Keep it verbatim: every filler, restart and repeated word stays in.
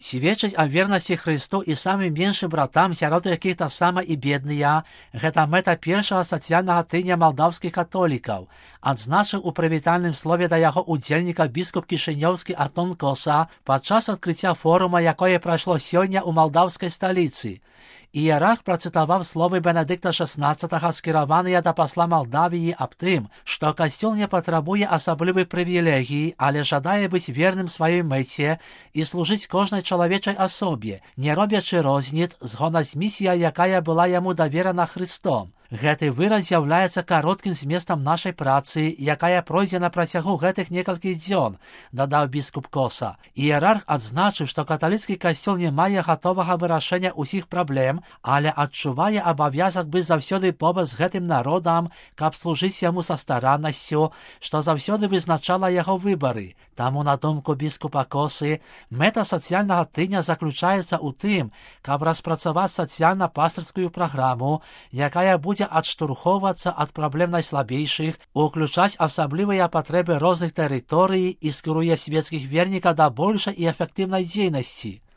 Сведчыць аб вернасці Хрысту і самым меншым братам, сярод якіх таксама і бедныя, гэта мэта першага сацыяльнага тыдня малдаўскіх католікаў, адзначыў у прывітальным слове да яго удзельніка біскуп кішынёўскі Антон Коса падчас адкрыцця форума, якое прайшло сёння ў малдаўскай сталіцы. Іерарх працытаваў словы Бенедыкта шаснаццатага, скіраваныя да пасла Малдавіі аб тым, што касцёл не патрабуе асаблівай прывілегіі, але жадае быць верным сваёй мэце і служыць кожнай чалавечай асобе, не робячы розніц, згодна з місіяй, якая была яму даверана Хрыстом. Гэты выраз з'яўляецца кароткім зместам нашай працы, якая пройдзе на працягу гэтых некалькіх дзён, дадаў біскуп Коса. Іерарх адзначыў, што каталіцкі касцёл не мае гатовага вырашэння ўсіх праблем, але адчувае абавязак быць заўсёды побач з гэтым народам, каб служыць яму са стараннасцю, што заўсёды вызначала яго выбары. Таму, на думку біскупа Косы, мэта сацыяльнага тыдня заключаецца ў тым, каб распрацаваць сацыяльна-пастырскую праграму, якая будзе адштурхоўвацца ад праблем найслабейшых, уключаць асаблівыя патрэбы розных тэрыторый і скіруе свецкіх вернікаў да большай і эфектыўнай дзейнасці.